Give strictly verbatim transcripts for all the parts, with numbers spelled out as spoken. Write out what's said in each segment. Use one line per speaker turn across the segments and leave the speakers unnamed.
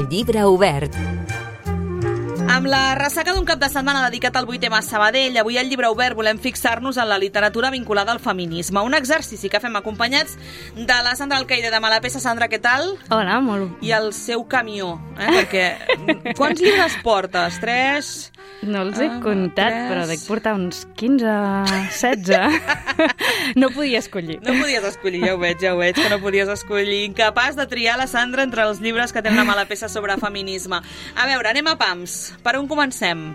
Llibre obert.
Amb la ressaca d'un cap de setmana dedicat al vuitè a Sabadell, avui al Llibre Obert volem fixar-nos en la literatura vinculada al feminisme. Un exercici que fem acompanyats de la Sandra Alcaide de Malapesa. Sandra, què tal?
Hola, molt.
I el seu camió, eh? Perquè quants llibres portes? Tres?
No els he
ah,
comptat,
tres.
Però dec portar uns quinze, setze. No podia escollir.
No podies escollir, ja ho veig, ja ho veig, que no podies escollir. Incapaç de triar la Sandra entre els llibres que tenen a Malapesa sobre feminisme. A veure, anem a pams. Per on comencem?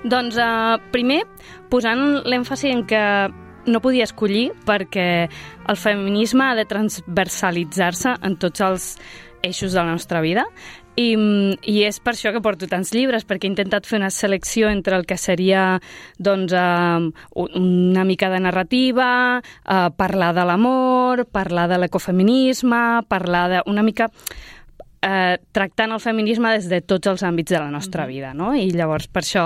Doncs uh, primer, posant l'èmfasi en que no podia escollir perquè el feminisme ha de transversalitzar-se en tots els eixos de la nostra vida i, i és per això que porto tants llibres, perquè he intentat fer una selecció entre el que seria doncs, uh, una mica de narrativa, uh, parlar de l'amor, parlar de l'ecofeminisme, parlar de una mica... Eh, tractant el feminisme des de tots els àmbits de la nostra mm-hmm. vida, no? I llavors per això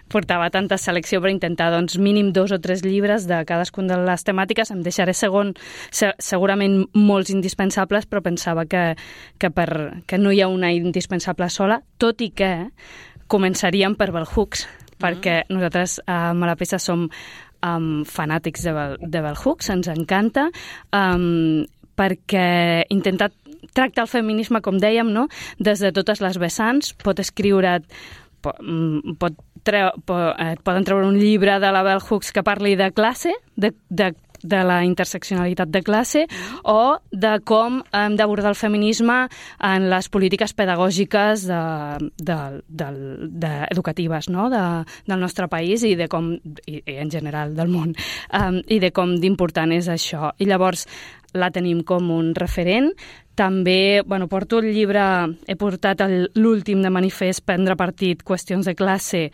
portava tanta selecció per intentar doncs, mínim dos o tres llibres de cadascuna de les temàtiques. Em deixaré segon, se, segurament molts indispensables, però pensava que, que, per, que no hi ha una indispensable sola, tot i que començaríem per Bell Hooks, mm-hmm. perquè nosaltres a Malapesa som um, fanàtics de Bell, de Bell Hooks, ens encanta, um, perquè he intentat tracta el feminisme, com dèiem, no? Des de totes les vessants. Pot escriure... Pot, pot treu, pot, et poden treure un llibre de la Bell Hooks que parli de classe, de, de, de la interseccionalitat de classe, o de com hem d'abordar el feminisme en les polítiques pedagògiques de, de, de, de, educatives, no? de, del nostre país i de com, i, i en general del món, um, i de com d'important és això. I llavors la tenim com un referent. També, bueno, porto el llibre, he portat el, l'últim de Manifest, Prendre partit, qüestions de classe,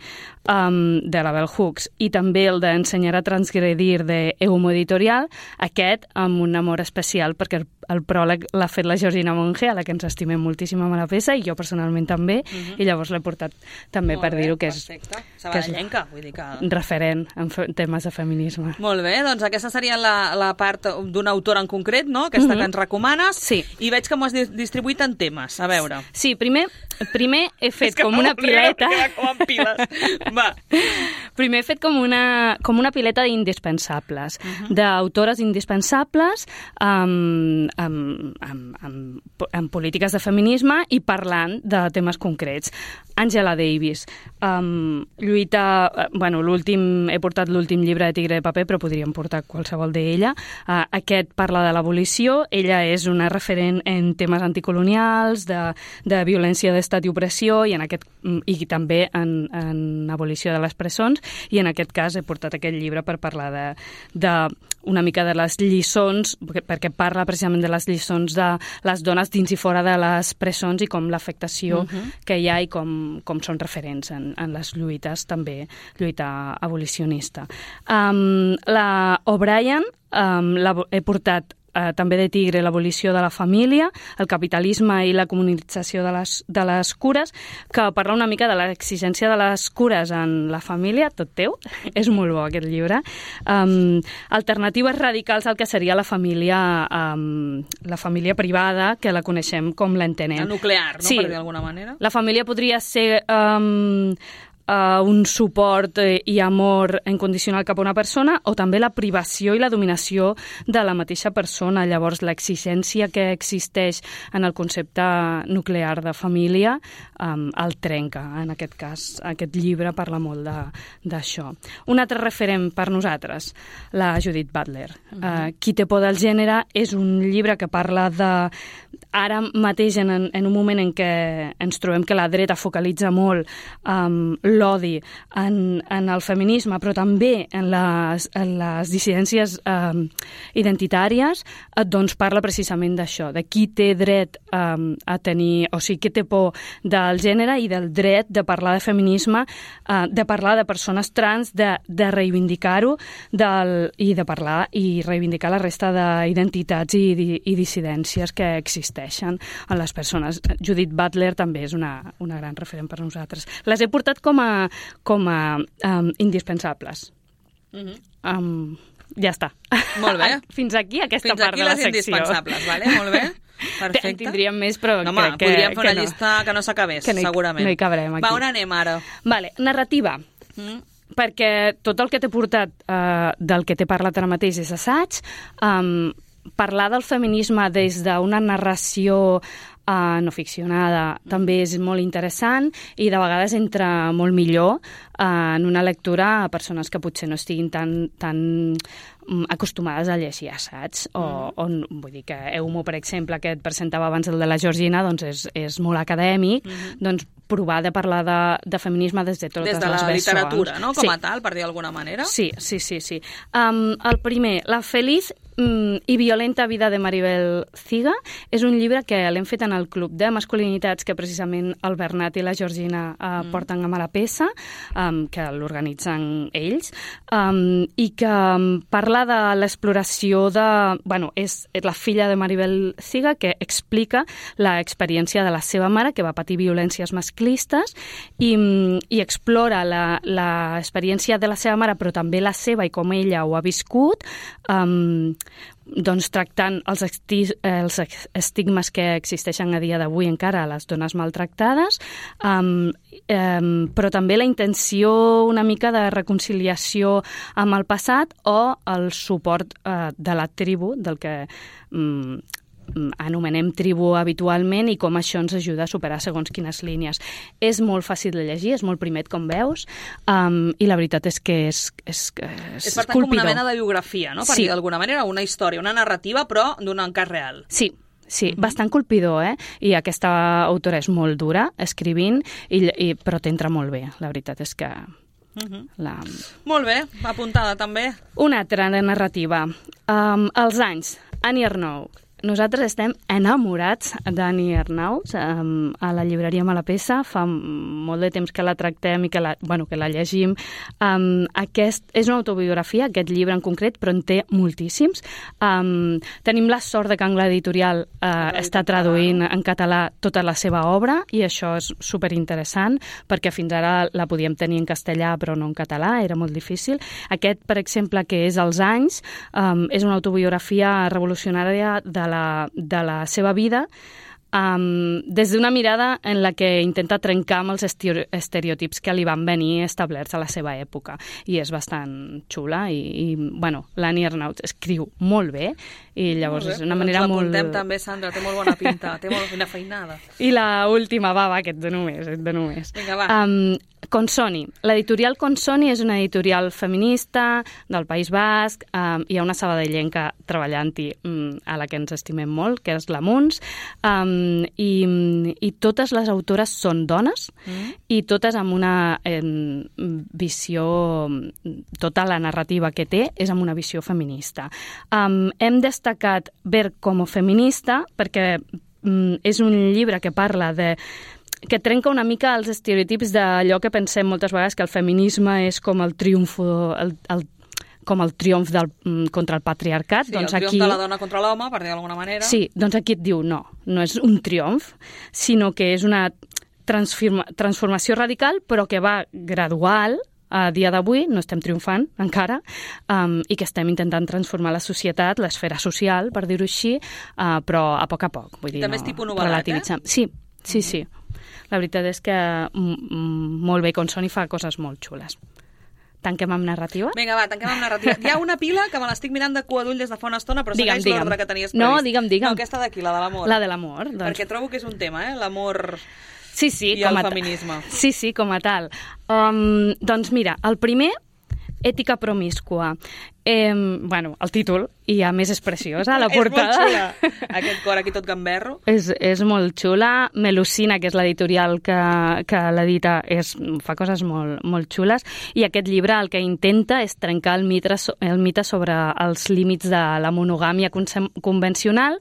um, de la Bell Hooks, i també el d'Ensenyar a transgredir, de Eumo Editorial, aquest amb un amor especial, perquè el, el pròleg l'ha fet la Georgina Monge, a la que ens estimem moltíssim a Malapesa, i jo personalment també, uh-huh. i llavors l'he portat també
Molt
per
bé,
dir-ho, que és,
que és vull dir que...
referent en fe, temes de feminisme.
Molt bé, doncs aquesta seria la, la part d'un autor en concret, no?, aquesta uh-huh. que ens recomanes,
sí.
I veig que m'ho has distribuït en temes. A veure.
Sí, primer, primer he fet com una pileta...
Com en piles. Va.
Primer he fet com una, com una pileta d'indispensables, uh-huh. d'autores indispensables amb, amb, amb, amb, amb polítiques de feminisme i parlant de temes concrets. Angela Davis. Um, lluita... Bueno, l'últim... He portat l'últim llibre de Tigre de paper, però podríem portar qualsevol d'ella. Uh, aquest parla de l'abolició. Ella és una referent en temes anticolonials, de, de violència d'estat i opressió, i, en aquest, i també en, en abolició de les presons, i en aquest cas he portat aquest llibre per parlar de, de una mica de les lliçons, perquè parla precisament de les lliçons de les dones dins i fora de les presons i com l'afectació uh-huh. que hi ha i com, com són referents en, en les lluites, també lluita abolicionista. Um, la O'Brien um, la, he portat Uh, també de Tigre, l'abolició de la família, el capitalisme i la comunització de les, de les cures, que parla una mica de l'exigència de les cures en la família, tot teu, és molt bo aquest llibre. Um, alternatives radicals al que seria la família, um, la família privada, que la coneixem com l'entenem.
La nuclear, no?
Sí,
Per dir d'alguna manera.
La família podria ser... Um, Uh, un suport eh, i amor incondicional cap a una persona, o també la privació i la dominació de la mateixa persona. Llavors, l'exigència que existeix en el concepte nuclear de família um, el trenca. En aquest cas, aquest llibre parla molt de, d'això. Un altre referent per nosaltres, la Judith Butler. Uh-huh. Uh, Qui té por del gènere és un llibre que parla de... Ara mateix, en, en un moment en què ens trobem que la dreta focalitza molt um, l'odi en, en el feminisme, però també en les, en les dissidències um, identitàries, doncs parla precisament d'això, de qui té dret um, a tenir, o sigui, qui té por del gènere i del dret de parlar de feminisme, uh, de parlar de persones trans, de, de reivindicar-ho del, i de parlar i reivindicar la resta d'identitats i, i, i dissidències que existeixen en les persones. Judith Butler també és una, una gran referent per nosaltres. Les he portat com a, com a um, indispensables. Mm-hmm. Um, ja està.
Molt bé.
Fins aquí aquesta
Fins
part
aquí
de la
les
secció.
indispensables, vale? Molt bé. Perfecte.
En tindríem més, però
no, home,
crec que,
podríem fer una
que no.
llista que no s'acabés,
que no hi,
segurament.
No hi cabrem, aquí.
Va, on anem ara?
Vale, narrativa. Mm. Perquè tot el que t'he portat, eh, del que t'he parlat ara mateix és assaig. Um, parlar del feminisme des d'una narració Uh, no ficcionada, mm. també és molt interessant i de vegades entra molt millor uh, en una lectura a persones que potser no estiguin tan, tan um, acostumades a llegir assaigs o, mm. o, vull dir que Eumo, per exemple, que et presentava abans el de la Georgina, doncs és, és molt acadèmic, mm. doncs provar de parlar de, de feminisme des de totes les
vessants. Des de la literatura, no?, com
sí.
a tal, per dir d'alguna manera.
Sí, sí, sí. sí. Um, el primer, La feliz mm, i violenta vida de Maribel Ciga, és un llibre que l'hem fet en el Club de Masculinitats que precisament el Bernat i la Georgina uh, mm. porten a mala peça, um, que l'organitzen ells, um, i que um, parla de l'exploració de... Bueno, és, és la filla de Maribel Ciga que explica l'experiència de la seva mare, que va patir violències masclistes, i, i explora l'experiència de la seva mare, però també la seva i com ella ho ha viscut, um, doncs tractant els, esti els estigmes que existeixen a dia d'avui encara a les dones maltractades, um, um, però també la intenció una mica de reconciliació amb el passat o el suport uh, de la tribu, del que um, anomenem tribu habitualment, i com això ens ajuda a superar segons quines línies. És molt fàcil de llegir, és molt primet, com veus, um, i la veritat és que és, és, és,
és per tant
colpidor.
Com una mena de biografia, no? Per
sí.
dir d'alguna manera, una història, una narrativa, però d'un cas real.
Sí, sí, uh-huh. bastant colpidor, eh? I aquesta autora és molt dura, escrivint, i, i, però t'entra molt bé, la veritat és que... Uh-huh. la...
Molt bé, apuntada també.
Una altra narrativa. Um, els anys, Annie Ernaux. Nosaltres estem enamorats d'Annie Ernaux, um, a la llibreria Malapessa. Fa molt de temps que la tractem i que la, bueno, que la llegim. Um, aquest és una autobiografia, aquest llibre en concret, però en té moltíssims. Um, tenim la sort de que Angle Editorial uh, està traduint en català tota la seva obra, i això és superinteressant, perquè fins ara la podíem tenir en castellà però no en català, era molt difícil. Aquest, per exemple, que és Els anys, um, és una autobiografia revolucionària de la, de la seva vida, um, des d'una mirada en la que intenta trencar amb els estereotips que li van venir establerts a la seva època, i és bastant xula, i, i bueno, l'Annie Ernaux escriu molt bé, i llavors és una manera molt...
L'apuntem també, Sandra, té molt bona pinta, té molt fina feinada.
I la última, va, va, que et dono més, et dono més.
Vinga, va.
Um, Consoni. L'editorial Consoni és una editorial feminista del País Basc, um, hi ha una sabadellenca treballant-hi um, a la que ens estimem molt, que és la Muns, um, i, i totes les autores són dones, mm. i totes amb una eh, visió, tota la narrativa que té és amb una visió feminista. Um, hem destacat Ver como feminista perquè um, és un llibre que parla de que trenca una mica els estereotips d'allò que pensem moltes vegades, que el feminisme és com el triomf, el, el, com el triomf del, contra el patriarcat.
Sí,
doncs
el triomf
aquí,
de la dona contra l'home, per dir d'alguna manera.
Sí, doncs aquí et diu no, no és un triomf, sinó que és una transforma, transformació radical, però que va gradual. A dia d'avui no estem triomfant encara, um, i que estem intentant transformar la societat, l'esfera social, per dir-ho així, uh, però a poc a poc. Vull dir,
també
no,
és tipus novel·lat, eh?
Sí, sí, sí. La veritat és que mm, molt bé, Consoni fa coses molt xules. Tanquem amb narrativa?
Vinga, va, tanquem amb narrativa. Hi ha una pila que me l'estic mirant de cua d'ull des de fa una estona, però
digue'm,
segueix l'ordre que tenies previst.
No, digue'm, digue'm.
No, aquesta d'aquí, la de l'amor.
La de l'amor. Doncs...
Perquè trobo que és un tema, eh? L'amor
sí, sí,
i
com
el
a
feminisme.
Sí, sí, com a tal. Um, doncs mira, el primer, Ètica promíscua. Eh, bueno, el títol, i a més és preciós, a la portada.
És molt xula. Aquest cor aquí tot gamberro.
És, és molt xula. Melusina, que és l'editorial que, que l'edita, fa coses molt, molt xules. I aquest llibre el que intenta és trencar el mite, el mite sobre els límits de la monogàmia convencional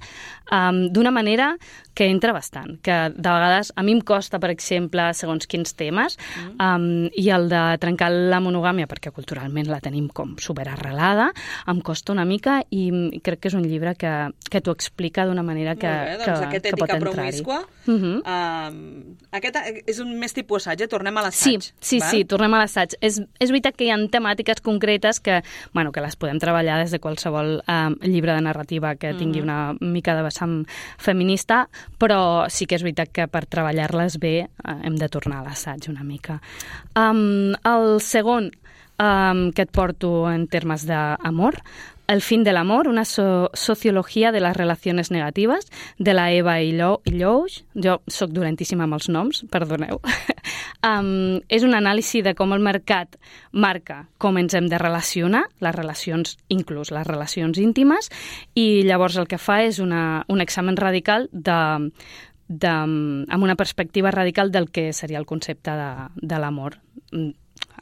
um, d'una manera que entra bastant. Que de vegades a mi em costa, per exemple, segons quins temes, mm. um, i el de trencar la monogàmia, perquè culturalment la tenim com superarrelada, vegada em costa una mica i crec que és un llibre que, que t'ho explica d'una manera que,
Molt bé, doncs
que,
aquest
que pot
Ètica
entrar-hi.
Promiscua, uh -huh. uh, aquest és un més tipus assaig, eh? Tornem a l'assaig.
Sí, sí, val? sí, tornem a l'assaig. És, és veritat que hi ha temàtiques concretes que, bueno, que les podem treballar des de qualsevol um, llibre de narrativa que tingui uh -huh. una mica de vessant feminista, però sí que és veritat que per treballar-les bé uh, hem de tornar a l'assaig una mica. Um, el segon um, que et porto en termes d'amor, El fin del amor, una so sociologia de les relacions negatives, de la Eva Illouch. Jo sóc dolentíssima amb els noms, perdoneu. um, és un anàlisi de com el mercat marca com ens hem de relacionar, les relacions, inclús les relacions íntimes, i llavors el que fa és una, un examen radical de, de, amb una perspectiva radical del que seria el concepte de, de l'amor,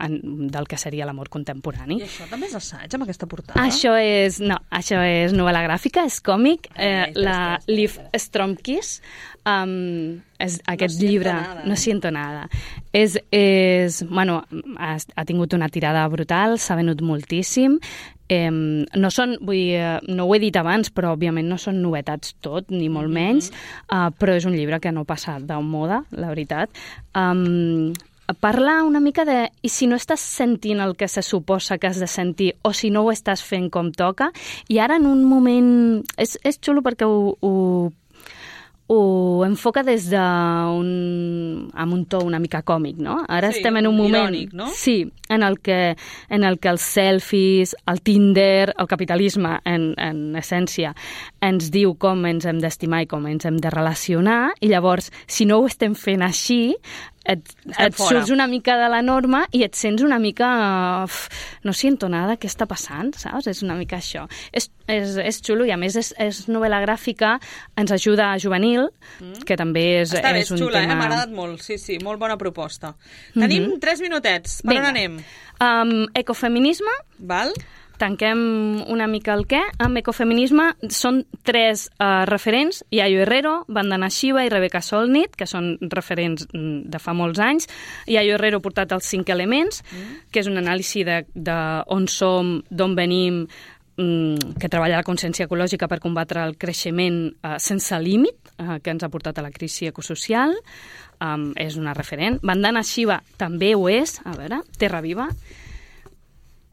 del que seria l'amor contemporani.
I això també és assaig, amb aquesta portada?
Això és, no, això és novel·la gràfica, és còmic. Eh, la Liv Stromkis, um, és aquest
no
llibre...
Nada.
No siento nada. És, és, bueno, ha, ha tingut una tirada brutal, s'ha venut moltíssim. Eh, no són, vull dir, no ho he dit abans, però òbviament no són novetats tot, ni molt menys, mm-hmm. uh, però és un llibre que no passa de moda, la veritat. Um, Parla una mica de... I si no estàs sentint el que se suposa que has de sentir, o si no ho estàs fent com toca, i ara en un moment... És, és xulo perquè ho, ho, ho enfoca des d'un... amb un to una mica còmic, no? Ara
sí,
estem en un moment...
irònic, no?
Sí, en el que, en el que els selfies, el Tinder, el capitalisme, en, en essència, ens diu com ens hem d'estimar i com ens hem de relacionar, i llavors, si no ho estem fent així, et, et surts una mica de la norma i et sents una mica... Uf, no siento nada, què està passant, saps? És una mica això. És, és, és xulo i, a més, és, és novel·la gràfica, ens ajuda a juvenil, mm. que també és,
Està bé,
és un
xula,
tema...
eh? M'ha agradat molt, sí, sí, molt bona proposta. Mm-hmm. Tenim tres minutets, per
Vinga.
on anem?
Um, ecofeminisme.
Val.
Tanquem una mica el què. Amb ecofeminisme són tres uh, referents, Yayo Herrero, Vandana Shiva i Rebecca Solnit, que són referents de fa molts anys. Yayo Herrero ha portat els cinc elements, mm. que és un anàlisi de, de on som, d'on venim, mm, que treballa la consciència ecològica per combatre el creixement uh, sense límit, uh, que ens ha portat a la crisi ecosocial. Um, és una referent. Vandana Shiva també ho és. A veure, Terra Viva.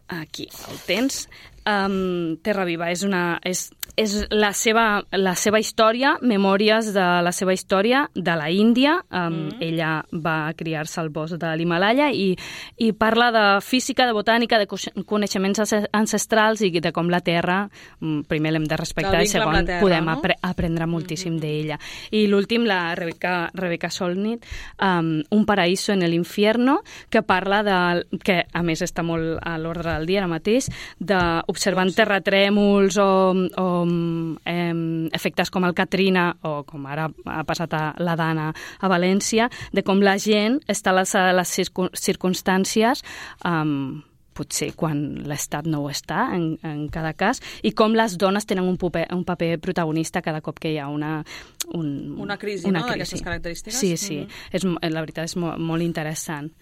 Aquí el tens. Um, Terra Viva és, una, és, és la, seva, la seva història, memòries de la seva història de la Índia. Um, mm. Ella va criar-se al bosc de l'Himalaya i, i parla de física, de botànica, de coneixements ancestrals i de com la Terra, primer l'hem de respectar i segon terra, podem no? apre aprendre moltíssim mm-hmm. d'ella. I l'últim, la Rebecca, Rebecca Solnit, um, Un paraíso en el infierno, que parla de, que a més està molt a l'ordre del dia ara mateix, de observant terratrèmols o, o eh, efectes com el Katrina o com ara ha passat a la Dana a València, de com la gent està a l'alçada de les circumstàncies um, potser quan l'Estat no ho està, en, en cada cas, i com les dones tenen un paper, un paper protagonista cada cop que hi ha una... Un,
una crisi,
una
no?,
crisi.
d'aquestes característiques.
Sí, sí,
mm-hmm.
és, la veritat és molt, molt interessant.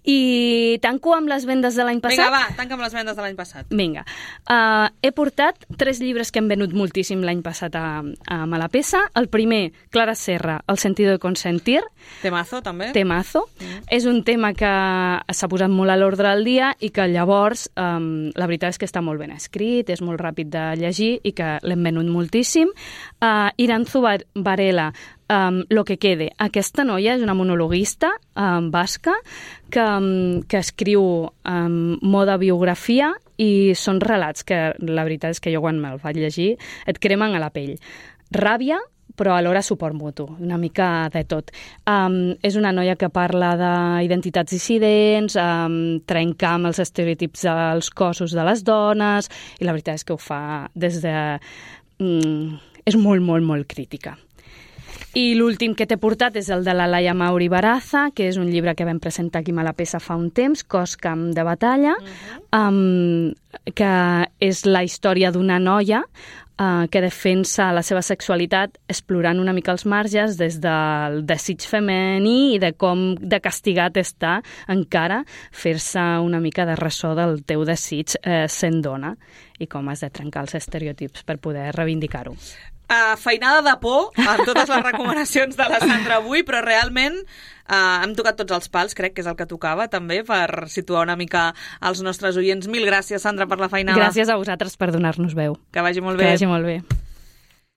I tanco amb les vendes de l'any passat.
Vinga, va, tanca amb les vendes de l'any passat.
Vinga. Uh, he portat tres llibres que hem venut moltíssim l'any passat a, a Malapesa. El primer, Clara Serra, El sentido de consentir.
Temazo, també.
Temazo. Mm. És un tema que s'ha posat molt a l'ordre del dia i que llavors um, la veritat és que està molt ben escrit, és molt ràpid de llegir i que l'hem venut moltíssim. Uh, Iranzu Varela, Um, Lo que quede. Aquesta noia és una monologuista um, basca que, um, que escriu um, moda biografia i són relats que la veritat és que jo quan me'l vaig llegir et cremen a la pell. Ràbia, però alhora suport mutu, una mica de tot. Um, és una noia que parla d'identitats dissidents, um, trencar amb els estereotips dels cossos de les dones, i la veritat és que ho fa des de... Um, és molt, molt, molt crítica. I l'últim que t'he portat és el de la Laia Mauri Baraza, que és un llibre que vam presentar aquí a Malapesa fa un temps, Cos, camp de batalla, uh-huh. um, que és la història d'una noia Uh, que defensa la seva sexualitat explorant una mica els marges des del desig femení i de com de castigat està encara fer-se una mica de ressò del teu desig eh, sent dona i com has de trencar els estereotips per poder reivindicar-ho.
Uh, feinada de por amb totes les recomanacions de la Sandra avui, però realment uh, hem tocat tots els pals, crec que és el que tocava també per situar una mica els nostres oients. Mil gràcies, Sandra, per la feinada.
Gràcies a vosaltres per donar-nos veu.
Que vagi molt bé.
Que vagi molt bé.